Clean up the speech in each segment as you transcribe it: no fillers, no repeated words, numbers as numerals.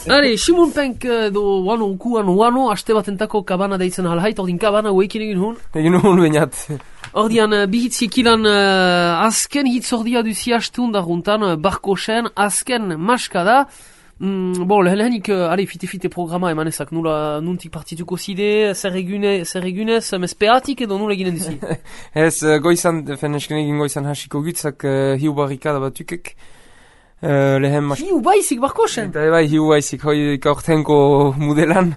Hale, Simon Penk do wano, aste batentako kabana deitzen halhait, ordin kabana uekin egin hun. Egin hun bainat. Ordian, bihitzik ilan azken hitz ordia duzi hastun da juntan, barkosen, azken maskada. Lehenik, fite programa emanezak, nula nuntik partituko zide, zer egunez, mespeatik edo nula eginen duzi? Ez, goizan, nesken egin goizan hasiko gutzak hiu barrikada batukek. Hiu baizik barkosen? Eta bai, hiu baizik, hoi kaurtenko modelan.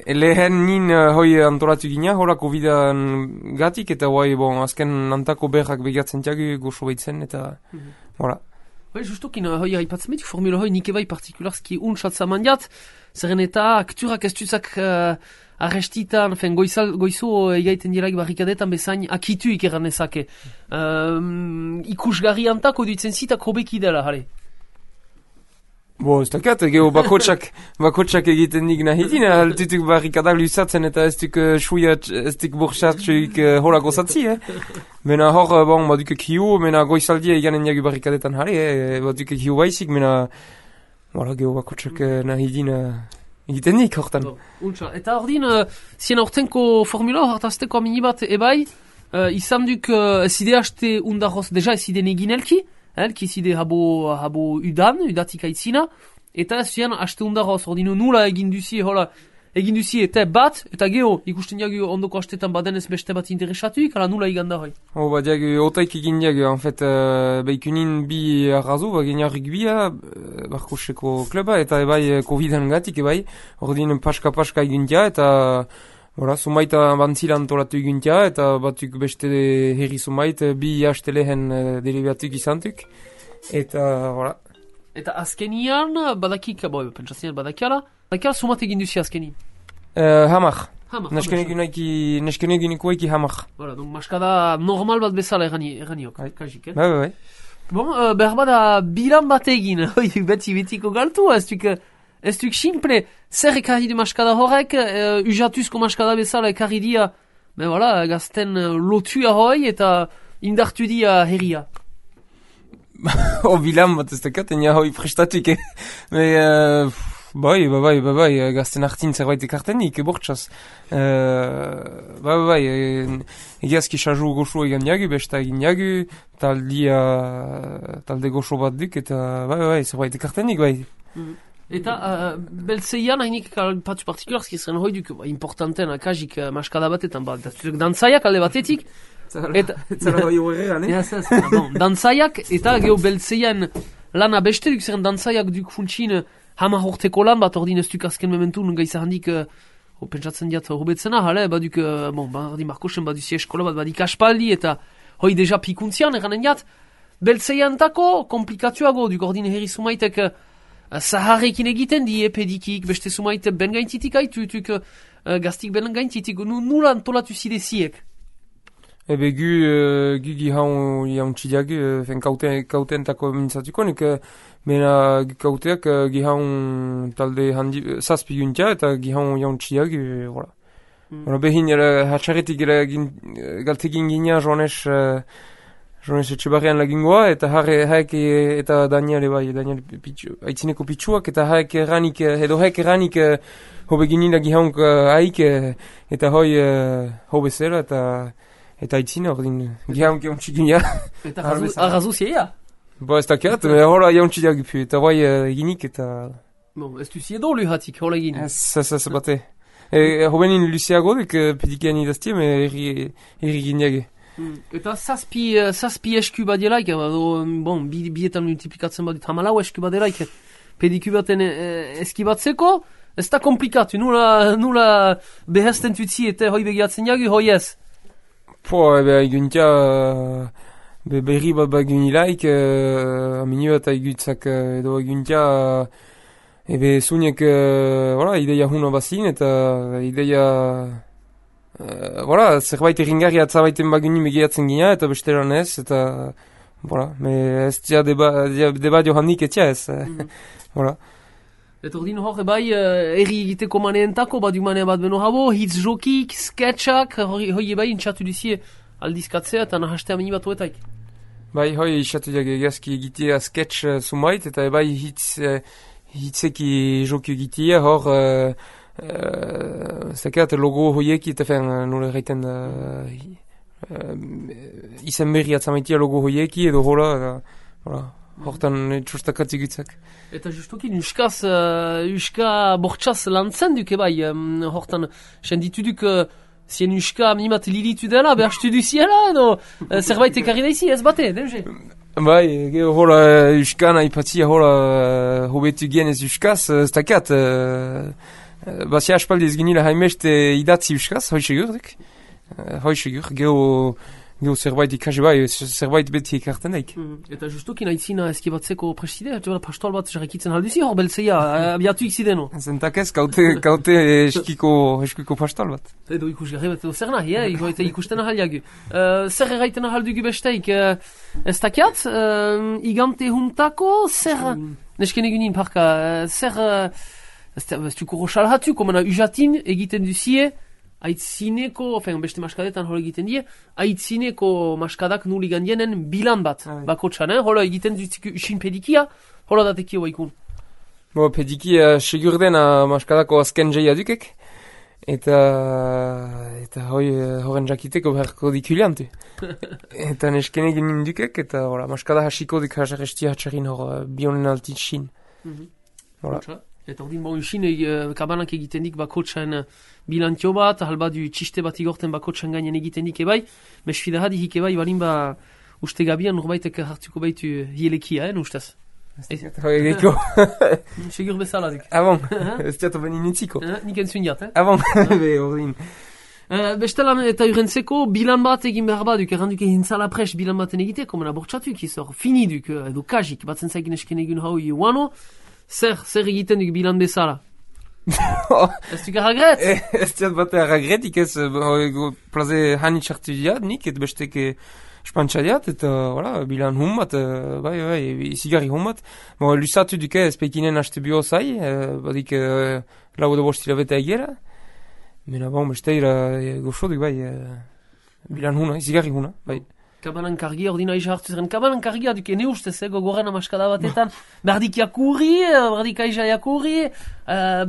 Lehen nin hoi antolatu gina, hola COVID-an gatik, eta hoi, azken antako berrak begatzen tiagu goxo baitzen, eta, hola. Bai, justokin, hoi haipatzen metik formula hoi nike bai partikularski untxatza mandiat, zerren eta akturak ez duzak arrestitan, goizo egaiten diraik barrikadetan bezain akitu ikeran ezake. Ikusgarri antako duitzen zitak hobeki dela, jale. Ez dakat, geho bakotsak egiten nik nahi dina, altutuk barrikadak luzatzen eta ez duk ez duk borxatxuik hola gozatzi, Mena hor, badukek hiu, mena goizaldia eganen jagu barrikadetan jale, badukek hiu baizik, mena geho bakotsak nahi dina egiten nik hortan. Eta ordin, zien hortenko formula hartazteko amini bat ebai, izan duk zide haste undarroz, deja zide negin elki zide habo udatik aitzina, eta zian haste undarroz, ordino nula egin duzi eta bat, eta geho, ikusten jagu ondoko hastetan badenez beste bat interesatuik, ala nula iganda hoi. Diagu, otaik egin diagu, en fait, beikunin bi arrazu, genia rugbia, barkoseko kluba, eta ebai COVID-an gatik, ebai, ordin paska egin dia, eta sumaita bantzilan tolatu eguntia, eta batuk beste herri sumait, bi haste lehen derivatuk izantuk, eta, Eta azkenian, badakik, pentsatzen badakiala sumat egin duzi azkenin? Hamar. Nesken eginiko eki hamar. Donc maskada normal bat bezala erganiok, kajik, Bai. Behar bada bilan bat egin, betiko galtu, ez duk simple, zer ekarri du maskada horrek, ujatuzko maskada bezala ekarri dia, gazten lotua hoi eta indartu dia herria. Bilan bat ez dakat, enia hoi prestatuik, Bai, gazten hartin zerbait ekartenik, bortxaz. Egiazki xazu goxo egan diagu, besta egin diagu, talde goxo bat duk, eta zerbait ekartenik, bai. Eta beltzeian hainik patu partikularski zeren hoi duk importanten akajik maskada batetan, dantzaiak alde batetik, Zara hoi horregan, dantzaiak, eta geho beltzeian lana beste duk zeren dantzaiak duk funtsin hama horteko lan bat ordin ez duk azken mementun gaiza handik pentsatzen diat hobetzena, baduk, badi markosen baduzi eskola bat badik aspaldi eta hoi deja pikuntzian eranen diat, beltzeian tako komplikatuago duk ordin herri sumaitek zaharrekin egiten die pedikik, beste sumait ben gaintitik haitutuk, gaztik ben gaintitik, nula antolatu zide ziek? Ebe gu gihaun jauntxideak, kauten tako mintzatuko, nik mena kauteak gihaun talde zazpi guntia eta gihaun jauntxideak, behin hatxarretik galtekin gina Joanes Etxebarrian lagingoa, eta haek eta Daniel aitzineko pitsuak, eta haek eranik hobeginin da gihaunk haik, eta hoi hobezera, eta aitzina ordin gihaunk jauntxik gina. Eta arrazu zieia? Ez dakiat, hola jauntxideak ipu, eta bai eginik, eta... Ez du ziedo luhatik, hola egin? Ez bate. Hobenin luzeago duk pedikian idaztiem, erri gineage. Eta zazpi esku badelaik, bietan multiplikatzen badut, hamalau esku badelaik, pediku baten eskibatzeko, ez da komplikatu, nula behazten tutzi eta hoi begiatzen jagu, hoi ez? Eguntia, berri bat bagunilaik, aminu eta egutzak edo eguntia, ebe zunek, ideia huna bazin, eta ideia... zerbait erringarri atzabaiten bagunin begiatzen gina, eta besteran ez, eta... ez tia deba johannik etia ez. Eta ordin hor, bai, erri egiteko maneentako, badu manea bat beno habo, hitz jokik, sketchak, hoi bai intxatu duzie aldizkatzea, eta nahastea meni bat huetaik. Bai, hoi intxatu diag egazki egitea sketch sumait, eta bai hitzeki joku egitea, hor, zakat, logo hoiek, eta nola erraiten izen berri atzamaitia logo hoieki, edo hola, hortan txostakatzi gutzak. Eta justukin, uska bortxaz lantzen duke bai, hortan, senditu duk, zien uska minimat lilitu dela, behar du ziela, edo zerbait ekarri daizi, ez bate, deuze? Bai, gero hola uskan aipatzia hola hobetu genez uskaz, ez dakat, bazia aspaldi ez ginila haimest idatzi uskaz, hoi segur, gero zerbait ikasi bai, zerbait beti ekarten daik. Eta justukin aitzina eskibatzeko prestide, pastoal bat jarrakitzen halduzi hor beltzeia, abiatu ikzideno. Zentak ez, kaute eskiko pastoal bat. Edo ikusgarri bat edo zer nahi, eta ikusten ahaliagu. Zer erraiten ahaldugu besteik, ez dakiat, igante juntako, zer, nesken egunin parka, zer, ez duko roxalhatu, komena ujatin egiten duzie, aitzineko, beste maskadetan hori egiten die, aitzineko maskadak nuli gandienen bilan bat, bakotxan, hola egiten duzik usin pedikia, hola datekio baikun. Pedikia segur dena maskadako azken jaia dukek, eta horren jakiteko beharko dikuliantu. Eta neskene genin dukek, eta maskada hasiko dik hasarrestia hatxarin hor bionen altitxin. Eta ordin bon usin, kabanak egiten dik bakotxan bilantio bat, halba du txiste bat igorten bakotxan gainen egiten dik ebai, mesfida hadi hik ebai, balin ba uste gabian norbaitek hartuko baitu hielekia, ustez? Hoi egeko. Segur bezala dik. Bon, ez diato beni nintziko. Nik entzun diat, Bon, ordin. Bestelan eta urentzeko bilan bat egin behar baduk, erranduk egin zala pres bilan baten egiteko, mena bortxatuk izor, finiduk, edo kajik, batzen zaikin esken egun hau iuano, zer egiten duk bilan bezala? Ez duk aragret? Ez diat bat aragretik ez, plaze hani txartu diat, nik, et besteke espantxa diat, eta bilan hun bat, izigarri hun bat. Lusatu duke ez pekinen haste bio zai, badik lau edo bost hilabeta egera. Mena besteira goxo duk bilan huna, izigarri huna, bai. Kabanan kargia, ordina aiza hartu zeren. Kabanan kargia duke ne ustez, gogoran amaskada batetan. Bardik jakurri, bardik aiza jakurri,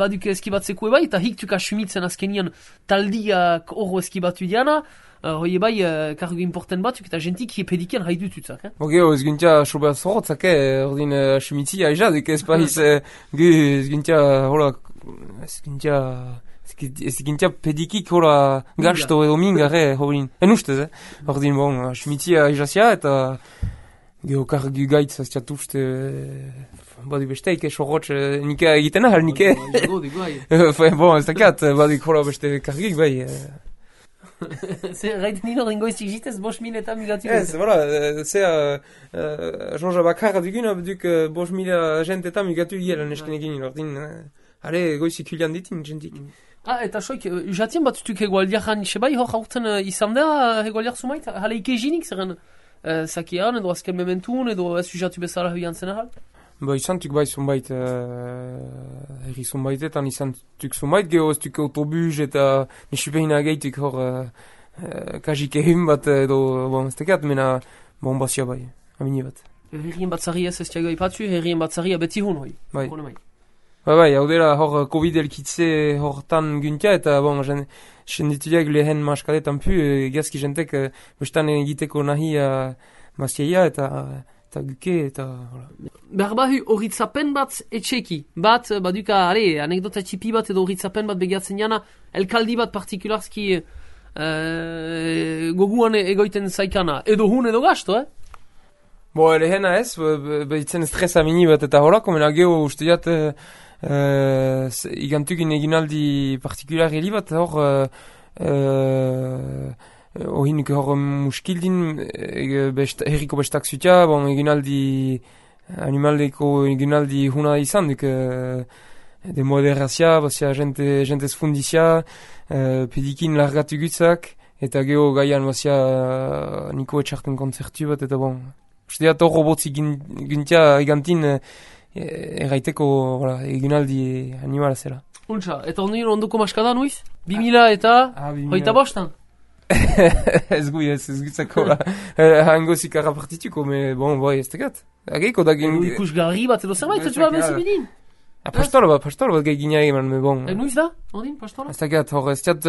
baduk eskibatzeko ebai, eta hik tuka sumitzen azkenian taldiak horro eskibatu diana. Hoi ebai, kargo importen batzuk, eta jentik pedikian haidu tutzak. Ez gintia sobat zorotzak, ordin sumitzi aiza duke ez pahiz, ez gintia, ez gintia pedikik hola gasto edo mingarre horin. Ustez, ordin sumitzia aizazia eta geokargu gaitz ez jatuzte badi besteik sorrotx nika egiten ahal nike. Ez dakat, badik hola beste kargik bai. Zer, gaiten nino ringoizik jitez 5.000 eta migatu. Ez, Jean-Jean bakarra duguna duk 5.000 jent eta migatu gila nesken egin ordin. Hale, goizik hulian ditin jentik. Eta soik, jatien bat zutuk hegoaldiak anixe bai, hor haurten izan da hegoaldiak sumait, hale ikezinik zeren zakian edo azken mementun edo ez jatu bezala huian zen ahal? Izan tuk bai zumbait, herri zumbaitetan izan tuk zumbait, geho ez tuk autobus eta nesupehina gaituk hor kajik ehun bat edo, ez tekat, mena bazia bai, amini bat. Herrien bat zari ez tiago ipatzu, herrien bat zari abeti hun hoi. Bai, hau dela hor Covid elkitze hortan guntia eta sendituak lehen maskadetan pu, gazki jentek bestan egiteko nahi mazieia eta guke eta... Berbahu horitzapen bat etxeki, bat baduka, anekdota txipi bat edo horitzapen bat begiatzen jana, elkaldi bat partikularski goguan egoiten zaikana, edo hun edo gasto, Lehena ez, behitzen estresa mini bat eta horako, mena geho uste jat igantukin eginaldi partikular heli bat hor ohinik hor muskildin herriko bestak zutia, eginaldi animaldeko eginaldi huna izan duk de moderazia, bazia jentez fundizia, pedikin largatu gutzak, eta geho gaian bazia niko etxarten konzertu bat, eta uste diat hor robotzi gintia egantin erraiteko eginaldi animala zela. Untsa, eta ondoko maskada nuiz? 2000 eta hoita bostan? Ez gutzako hango zikara partituko, me ez tegat. Ageiko da gen... Ikus garri bat edo zerbait, ez bat bezibidin? Pastolo bat gai gina eman, me bon. Nuiz da, ordin, pastola? Ez dakat, hor, ez diat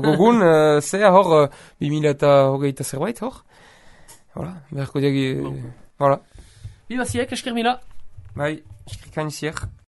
gogun, zea hor, 2008 zerbait, hor. Voilà, berko diagi, voilà. Biba ziek, esker mila. Bai, eskrikain ziek.